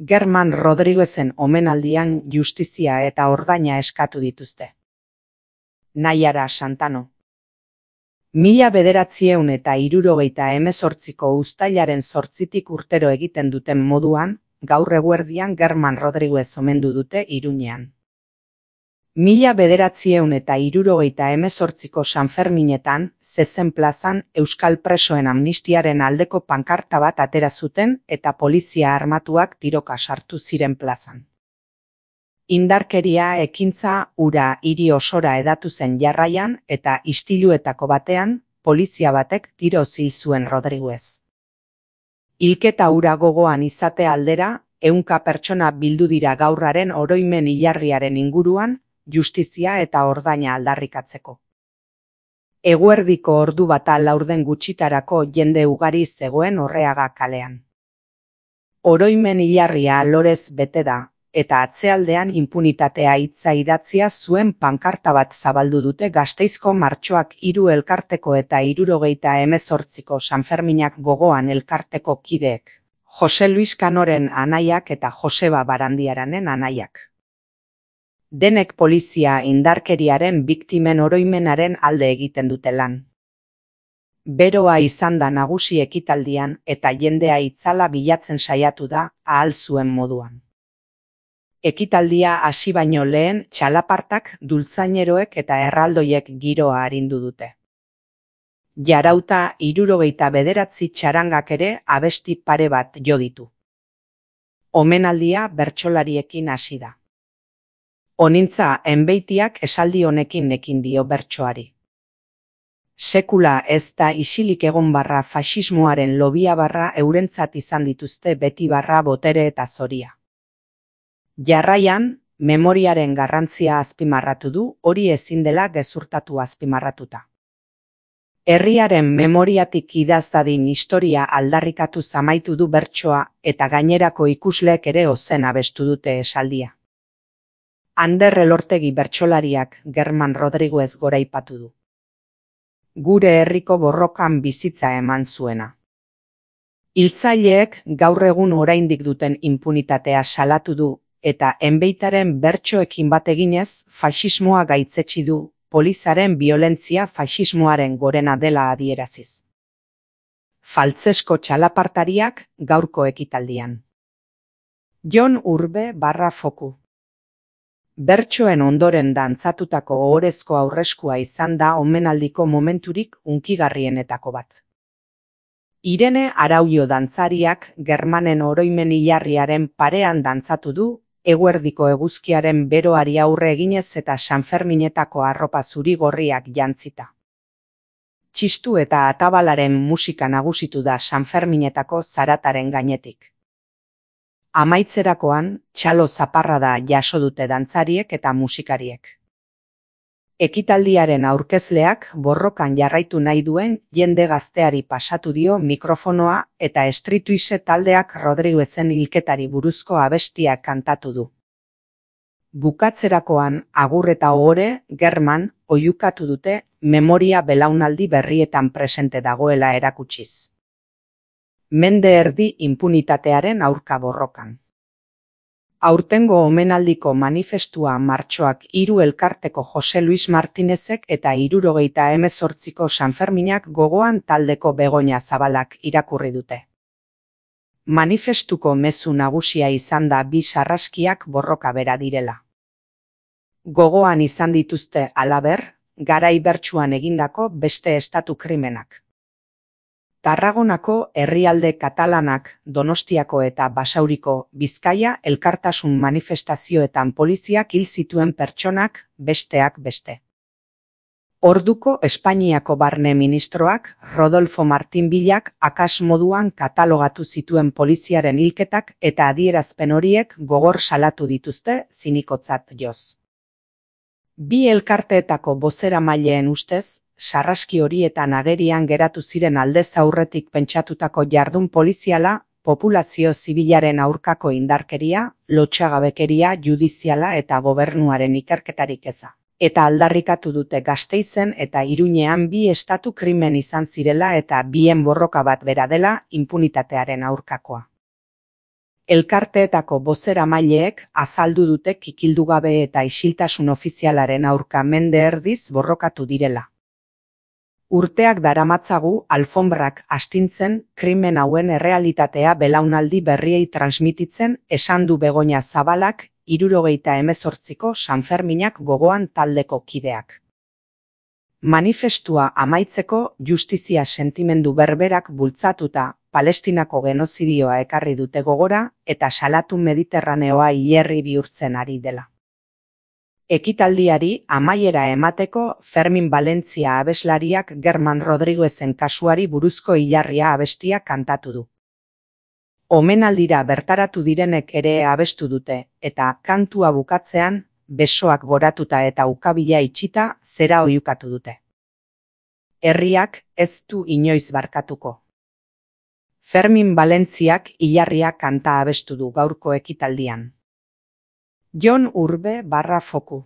German Rodriguezen omenaldian justizia eta ordaina eskatu dituzte. Naiara Santano. 1978ko uztailaren 8tik urtero egiten duten moduan, gaur eguerdian German Rodriguez omendu dute Iruñean. 1978ko Sanferminetan, Zezen plazan Euskal presoen amnistiaren aldeko pankarta bat atera zuten eta polizia armatuak tiroka sartu ziren plazan. Indarkeria ekintza hura hiri osora hedatu zen jarraian eta istiluetako batean, polizia batek tiroz hil zuen Rodriguez. Hilketa hura gogoan izate aldera, 100 pertsona bildu dira gaurraren oroimen hilarriaren inguruan, justizia eta ordaina aldarrikatzeko. Eguerdiko ordu bata laurden gutxitarako jende ugari zegoen Orreaga kalean. Oroimen hilarria lorez bete da, eta atzealdean inpunitatea hitza idatzia zuen pankarta bat zabaldu dute Gasteizko Martxoak 3 elkarteko eta 78ko Sanferminak gogoan elkarteko kideek, Jose Luis Kanoren anaiak eta Joseba Barandiaranen anaiak. Denek polizia indarkeriaren biktimen oroimenaren alde egiten dute lan. Beroa izan da nagusi ekitaldian eta jendea itzala bilatzen saiatu da ahal zuen moduan. Ekitaldia hasi baino lehen txalapartak, dultzaineroek eta erraldoiek giroa arindu dute. Jarauta 79 txarangak ere abesti pare bat jo ditu. Omenaldia bertsolariekin hasi da. Onintza Enbeitiak esaldi honekin ekin dio bertsoari. Sekula ez da isilik egon barra faxismoaren lobia barra eurentzat izan dituzte beti barra botere eta zoria. Jarraian, memoriaren garrantzia azpimarratu du, hori ezin dela gezurtatu azpimarratuta. Herriaren memoriatik idaz dadin historia aldarrikatu zamaitu du bertsoa eta gainerako ikusleek ere ozen abestu dute esaldia. Ander Elortegi bertsolariak German Rodriguez goraipatu du. Gure herriko borrokan bizitza eman zuena. Hiltzaileek gaur egun oraindik duten inpunitatea salatu du eta Enbeitaren bertsoekin bat eginez faxismoa gaitzetsi du, polizaren biolentzia faxismoaren gorena dela adieraziz. Faltzesko txalapartariak gaurko ekitaldian. Jon Urbe /Foku. Bertsoen ondoren dantzatutako ohorezko aurreskua izan da omenaldiko momenturik hunkigarrienetako bat. Irene Araullo dantzariak Germanen oroimen hilarriaren parean dantzatu du, eguerdiko eguzkiaren beroari aurre eginez eta Sanferminetako arropa zuri-gorriak jantzita. Txistu eta atabalaren musika nagusitu da Sanferminetako zarataren gainetik. Amaitzerakoan, txalo zaparrada jaso dute dantzariek eta musikariek. Ekitaldiaren aurkezleak borrokan jarraitu nahi duen jende gazteari pasatu dio mikrofonoa eta Streetwise taldeak Rodriguezen hilketari buruzko abestiak kantatu du. Bukatzerakoan, agur eta ohore, German, oihukatu dute memoria belaunaldi berrietan presente dagoela erakutsiz. Mende erdi inpunitatearen aurka borrokan. Aurtengo omenaldiko manifestua Martxoak 3 elkarteko Jose Luis Martinezek eta 78ko Sanferminak gogoan taldeko Begoña Zabalak irakurri dute. Manifestuko mezu nagusia izan da bi sarraskiak borroka bera direla. Gogoan izan dituzte halaber, garai bertsuan egindako beste estatu krimenak. Tarragonako herrialde katalanak, Donostiako eta Basauriko, Bizkaia elkartasun manifestazioetan poliziak hil zituen pertsonak, besteak beste. Orduko Espainiako barne ministroak, Rodolfo Martin Villak akas moduan katalogatu zituen poliziaren hilketak eta adierazpen horiek gogor salatu dituzte zinikotzat joz. Bi elkarteetako bozeramaileen ustez, sarraski horietan agerian geratu ziren aldez aurretik pentsatutako jardun poliziala, populazio zibilaren aurkako indarkeria, lotsagabekeria judiziala eta gobernuaren ikerketarik eza. Eta aldarrikatu dute Gasteizen eta Iruñean bi estatu krimen izan zirela eta bien borroka bat bera dela inpunitatearen aurkakoa. Elkarteetako bozeramaileek azaldu dute kikildugabe eta isiltasun ofizialaren aurka mende erdiz borrokatu direla. Urteak daramatzagu alfonbrak astintzen krimen hauen errealitatea belaunaldi berriei transmititzen esan du Begoña Zabalak 78ko Sanferminak gogoan taldeko kideak. Manifestua amaitzeko justizia sentimendu berberak bultzatuta Palestinako genozidioa ekarri dute gogora eta salatu Mediterraneoa hilerri bihurtzen ari dela. Ekitaldiari amaiera emateko Fermin Valentzia abeslariak German Rodriguezen kasuari buruzko hilarria abestia kantatu du. Omenaldira bertaratu direnek ere abestu dute eta kantua bukatzean besoak goratuta eta ukabila itxita zera oihukatu dute. Herriak ez du inoiz barkatuko. Fermin Valentziak hilarria kanta abestu du gaurko ekitaldian. Jon Urbe /Foku